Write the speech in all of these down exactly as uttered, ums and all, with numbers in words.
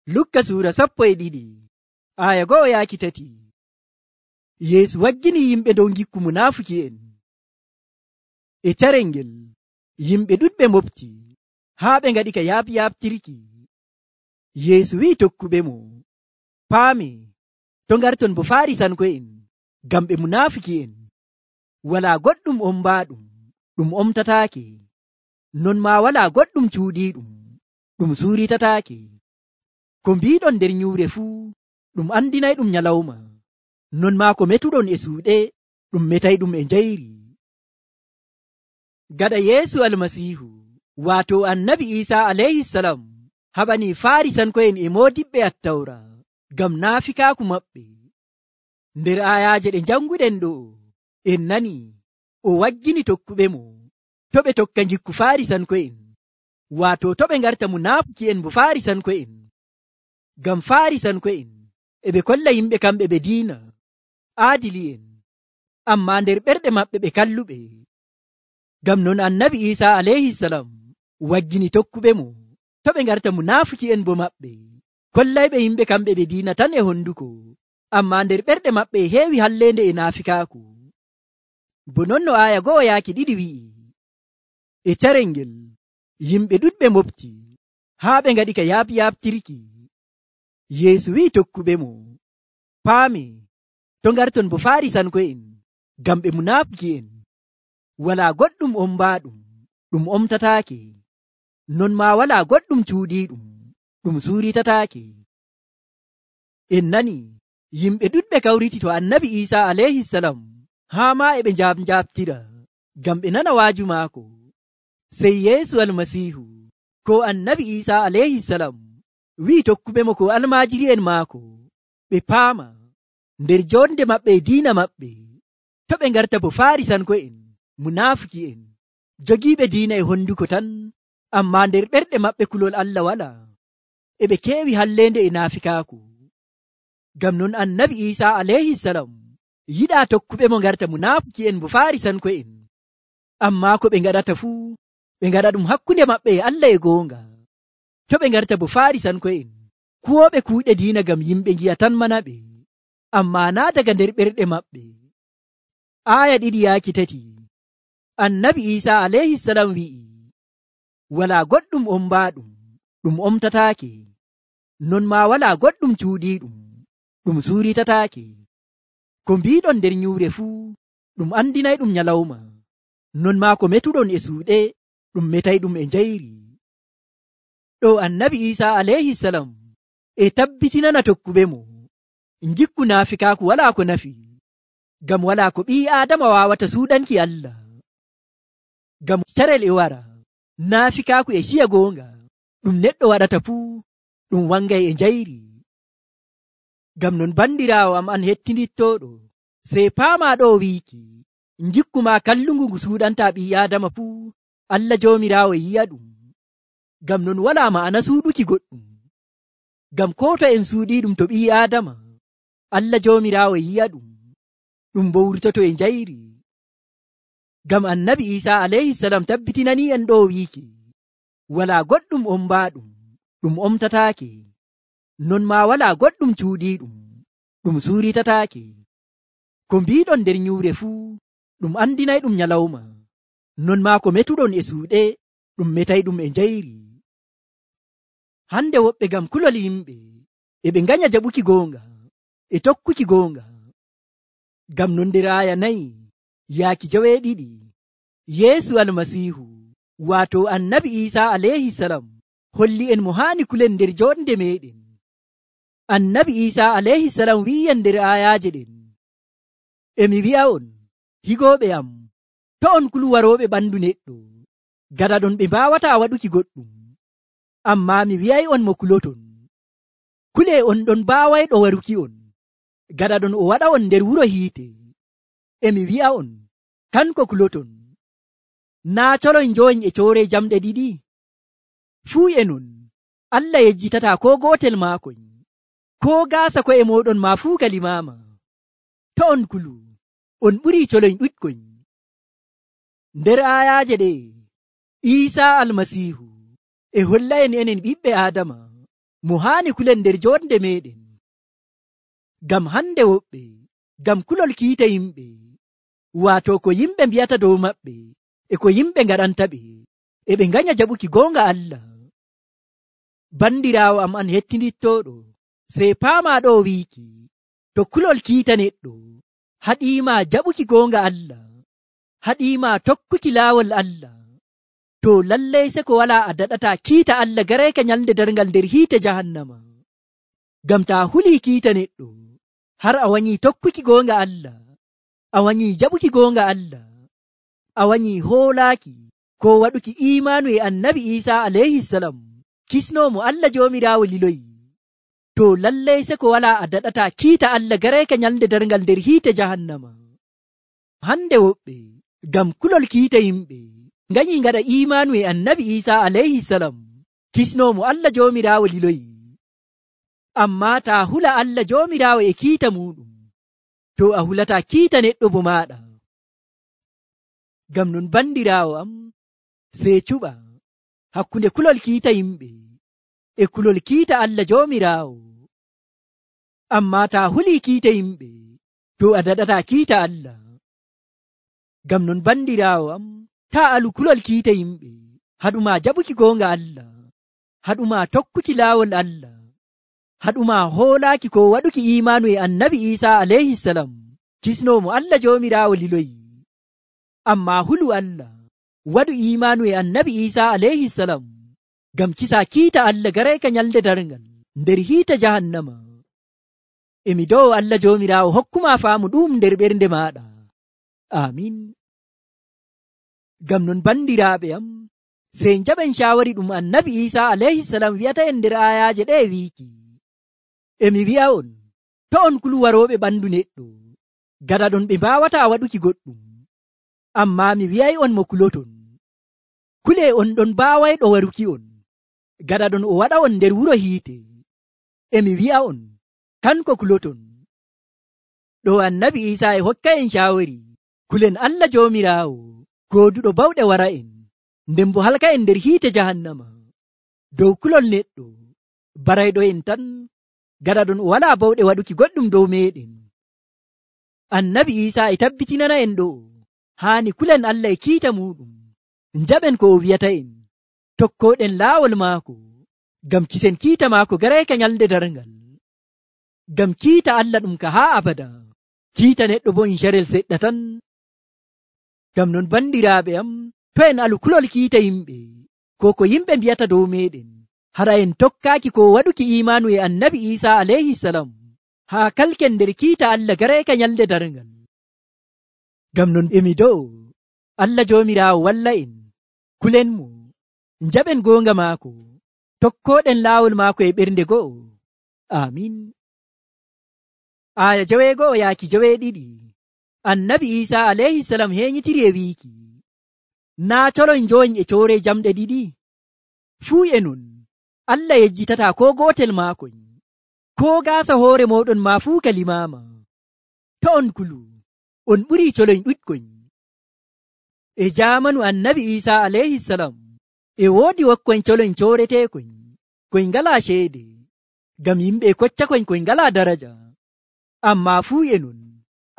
Lukka suura sappo e ɗiɗi aya go'o yaaki tati. Yeesu waggini yimɓe dow gikku munaafuki'en. E carel ngel yimɓe ɗuɗɓe mofti haa ɓe ngaɗi ka yaaɓyaaɓtirki. Yeesu wi'i tokkuɓe mo, paame to ngarton bo Faarisanko'en, ngam ɓe munaafuki'en. Walaa goɗɗum ombaaɗum ɗum omtataake, non maa walaa goɗɗum cuuɗiiɗum ɗum suuritataake. Ko mbiiɗon nder nyuure fuu ɗum andinayɗum nyalawma, non maa ko metuɗon e suuɗe ɗum metayɗum e njayri. Gaɗa Yeesu Almasiihu waato Annabi Iisaa alayhisalam haɓanii Faarisanko'en e moodiɓɓe Attawra ngam naafikaaku maɓɓe. Nder ayaaje ɗe janguɗen ɗo en nani o waggini tokkuɓe mo to ɓe tokka gikku Faarisanko'en, waato to ɓe ngarta munaafuki'en bo Faarisanko'en. Ngam Faarisanko'en e ɓe kolla yimɓe kamɓe ɓe diina aadili'en, ammaa nder ɓerɗe maɓɓe ɓe kalluɓe. Ngam non Annabi Iisaa alayhisalam waggini tokkuɓe mo to ɓe ngarta munaafuki'en bo maɓɓe kollayɓe yimɓe kamɓe ɓe diina tan e honduko, ammaa nder ɓerɗe maɓɓe e heewi halleende e naafikaaku. Bo non no aya go'o yaaki ɗiɗi wi'i, e carel ngel yimɓe ɗuɗɓe mofti haa ɓe ngaɗi ka yaaɓyaaɓtirki. Yeesu wi'i tokkuɓe mo, paame to ngarton bo Faarisanko'en, ngam ɓe munaafuki'en. Walaa goɗɗum ombaaɗum ɗum omtataake, non maa walaa goɗɗum cuuɗiiɗum ɗum suuritataake. En nani yimɓe ɗuɗɓe kawriti to Annabi Iisaa alayhisalam haa maa e ɓe njaabnjaaɓtira ngam ɓe nana waaju maako. Sey Yeesu Almasiihu ko Annabi Iisaa alayhisalam wi'i tokkuɓe mo ko almaajiri'en maako ɓe paama nder jonde maɓɓe e diina maɓɓe to ɓe ngarta bo Faarisanko'en, munaafuki'en, jogiiɓe diina e honduko tan, ammaa nder ɓerɗe maɓɓe kulol Allah walaa, e ɓe keewi halleende e naafikaaku. Ngam non Annabi Iisaa alayhisalam yiɗaa tokkuɓe mo ngarta munaafuki'en bo Faarisanko'en, ammaa ko ɓe ngaɗata fuu ɓe ngaɗa ɗum hakkunde maɓɓe e Allah e goonga. To ɓe ngarta bo Faarisanko'en, kuwooɓe kuuɗe diina ngam yimɓe ngi'a tan mana ɓe, ammaa naa daga nder ɓerɗe maɓɓe. Aya ɗiɗi yaaki tati Annabi Iisaa alayhisalam wi'i, walaa goɗɗum ombaaɗum ɗum omtataake, non maa walaa goɗɗum cuuɗiiɗum ɗum suuritataake. Ko mbiiɗon nder nyuure fuu ɗum andinayɗum nyalawma, non maa ko metuɗon e suuɗe ɗum metayɗum e njayri. Ɗo Annabi Iisaa alayhisalam e tabbitinana tokkuɓe mo ngikku naafikaaku walaa ko nafi, ngam walaa ko ɓii Aadama waawata suuɗanki Allah. Ngam carel e wara naafikaaku e ciya goonga ɗum neɗɗo waɗata fuu ɗum wangay e njayri. Ngam non bandiraawo am an hettinittooɗo, sey paamaa ɗo wiiki ngikku maa kallungu ngu suuɗantaa ɓii Aadama fuu Allah Joomiraawo yi'a ɗum. Ngam non walaa ma'ana suuɗuki goɗɗum, ngam ko to en suuɗii ɗum to ɓii Aadama, Allah Joomiraawo yi'a ɗum, ɗum bo wurtoto e njayri. Ngam Annabi Iisaa alayhisalam tabbitinanii en ɗo wiiki, walaa goɗɗum ombaaɗum ɗum omtataake, non maa walaa goɗɗum cuuɗiiɗum ɗum suuritataake. Ko mbiiɗon nder nyuure fuu ɗum andinayɗum nyalawma, non maa ko metuɗon e suuɗe ɗum metayɗum e njayri. Hande woɓɓe ngam kulol yimɓe e ɓe nganya jaɓuki goonga e tokkuki goonga. Ngam non nder aya nayi yaaki joweeɗiɗi Yeesu Almasiihu waato Annabi Iisaa alayhisalam holli en mo haani kulen nder jonde meɗen. Annabi Iisaa alayhisalam wi'en nder ayaaje ɗen, emi wi'a'on higooɓe am, to on kulu warooɓe ɓandu neɗɗo, gada ɗon ɓe mbaawataa waɗuki goɗɗum, ammaa mi wi'ay'on mo kuloton. Kulee on ɗon baawayɗo waruki on, gada ɗon o waɗa on nder wuro hiite. Emi wi'a'on kanko kuloton. Naa coloy njoyin e coore jamɗe ɗiɗi? Fuu e non Allah yejjitataa ko gootel maakoy, ko gaasa ko'e mooɗon maa fuu ka limaama. To on kulu, on ɓurii coloy ɗuɗkoy. Nder ayaaje ɗe Iisaa Almasiihu e holla en enen ɓiɓɓe Aadama mo haani kulen nder jonde meɗen. Ngam hande woɓɓe ngam kulol kiita yimɓe, waato ko yimɓe mbiyata dow maɓɓe e ko yimɓe ngaɗanta ɓe, e ɓe nganya jaɓuki goonga Allah. Bandiraawo am an hettinittooɗo, sey paama ɗo wiiki, to kulol kiita neɗɗo haɗiima jaɓuki goonga Allah, haɗiima tokkuki laawol Allah, to lallay se ko walaa a daɗata kiita Allah gareeka nyalnde darngal nder hiite jahannama. Ngam taa hulii kiita neɗɗo har a wanyii tokkuki goonga Allah, a wanyii jaɓuki goonga Allah, a wanyii hoolaaki ko waɗuki imaanu e annabi Iisaa alayhisalam, kisnoomo Allah Joomiraawo liloyi, to lallay se ko walaa a daɗata kiita Allah gareeka nyalnde darngal nder hiite jahannama. Hande woɓɓe ngam kulol kiita yimɓe nganyii ngaɗa imaanu e annabi Iisaa alayhisalam, kisnoomo Allah Joomiraawo liloyi. Ammaa taa hula Allah Joomiraawo e kiita muɗum, to a hulata kiita neɗɗo bo maaɗa. Ngam non bandiraawo am, sey cuɓa hakkunde kulol kiita yimɓe e kulol kiita Allah Joomiraawo. Ammaa taa hulii kiita yimɓe, to a daɗata kiita Allah. Ngam non bandiraawo am, taa alu kulol kiita yimɓe, haɗuma jaɓuki goonga Allah, haɗuma tokkuki laawol Allah, haɗuma hoolaaki ko waɗuki imaanu e annabi Iisaa alayhisalam, kisnoomo Allah Joomiraawo liloyi. Ammaa hulu Allah, waɗu imaanu e annabi Iisaa alayhisalam, ngam kisa kiita Allah gareeka nyalnde darngal nder hiite jahannama. Emi dow Allah Joomiraawo hokkuma faamu ɗum nder ɓernde maaɗa. Amin. Ngam non bandiraaɓe am, sey njaɓen caawari ɗum annabi Iisaa alayhisalam wi'ata en nder ayaaje ɗe wiiki, emi wi'a on, to on kulu warooɓe ɓandu neɗɗo, gada ɗon ɓe mbaawata waɗuki goɗɗum, ammaa mi wi'ay on mo kuloton, kule on ɗon mbaawayɗo waruki on, gada ɗon o waɗa on nder wuro hiite. Emi wi'a on, kanko kuloton. Ɗo annabi Iisaa e hokka en caawari kulen Allah Joomiraawo gooduɗo bawɗe wara en, nden bo halka en nder hiite jahannama, dow kulol neɗɗo barayɗo en tan, gada ɗon o walaa bawɗe waɗuki goɗɗum dow meɗen. Annabi Iisaa e tabbitinana en ɗo haani kulen Allah e kiita muɗum, njaɓen ko o wi'ata en, tokkoɗen laawol maako, ngam kisen kiita maako gareeka nyalnde darngal. Ngam kiita Allah ɗum ka haa abada, kiita neɗɗo bo in carel seɗɗa tan. Ngam non bandiraaɓe am, to en alu kulol kiita yimɓe, ko ko yimɓe mbiyata dow meɗen, hara en tokkaaki ko waɗuki imaanu e annabi Iisaa alayhisalam, haa kalken nder kiita Allah gareeka nyalnde darngal. Ngam non emi dow Allah Joomiraawo walla en, kulen mo, njaɓen goonga maako, tokkoɗen laawol maako e ɓernde go'o. Amin. Aya jaweego'o yaaki jaweeɗiɗi, annabi Iisaa alayhisalam heeñitiri e wiiki, naa colon njoyin e coore jamɗe ɗiɗi, fuu e non Allah yejjitata ko gootel maakon, ko gaasa hoore moɗon ma fuu ka limaama. To on kulu, on ɓurii colon ɗuɗkon. E jaamanu annabi Iisaa alayhisalam, e woodi wokkon colon cooreteekon, koy ngalaa ceede, ngam yimɓe kocca kon koy ngalaa daraja. Ammaa fuu e non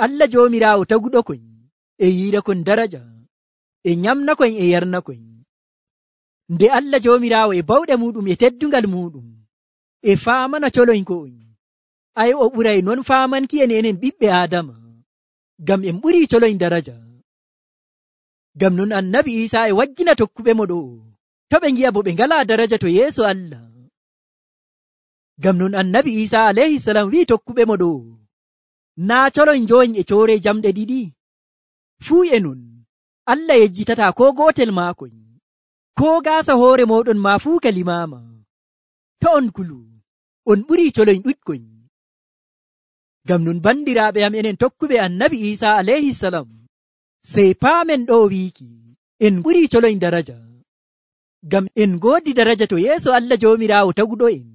Allah Joomiraawo taguɗo kon, e yiira kon daraja, e nyamna kon e yarna kon. Nde Allah Joomiraawo e bawɗe muɗum e teddungal muɗum e faamana colon ko on, ay o ɓuray non faamanki en enen ɓiɓɓe Aadama, ngam en ɓurii colon daraja. Ngam non annabi Iisaa e wajjina tokkuɓe mo ɗo, to ɓe ngi'a bo ɓe ngalaa daraja to yeeso Allah. Ngam non annabi Iisaa alayhisalam wi'i tokkuɓe mo ɗo, naa colon njoyin e coore jamɗe ɗiɗi, fuu e non Allah yejjitata ko gootel maakon, ko gaasa hoore moɗon ma fuu ka limaama. To on kulu, on ɓurii colon ɗuɗkon. Ngam non bandiraaɓe am enen tokkuɓe annabi Iisaa alayhisalam, sey paamen ɗo wiiki en ɓurii colon daraja, ngam en goodi daraja to yeeso Allah Joomiraawo taguɗo en.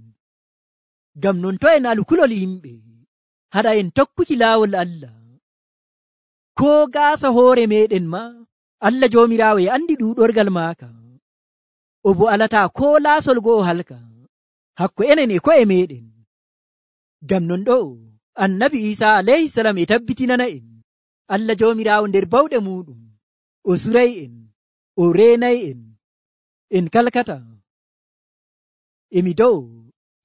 Ngam non to en alu kulol yimɓe, haɗa en tokkuki laawol Allah, ko gaasa hoore meɗen ma Allah Joomiraawo e andi ɗuuɗorgal maaka, o bo alata ko laasol go'o halka, hakko enen e ko'e meɗen. Ngam non ɗo annabi Isa alayhi salam e tabbitinana en Allah jomirawo nder bawɗe muɗum o suray en o reenay en en kalkata. Emi dow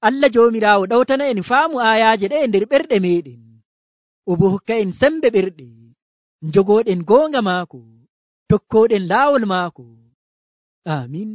Allah jomirawo ɗawtana en faamu ayaje ɗe nder ɓerɗe meɗen, o bo hokka en sembe ɓerɗe jogoɗen goonga maako, tokkoɗen laawol maako. Amin.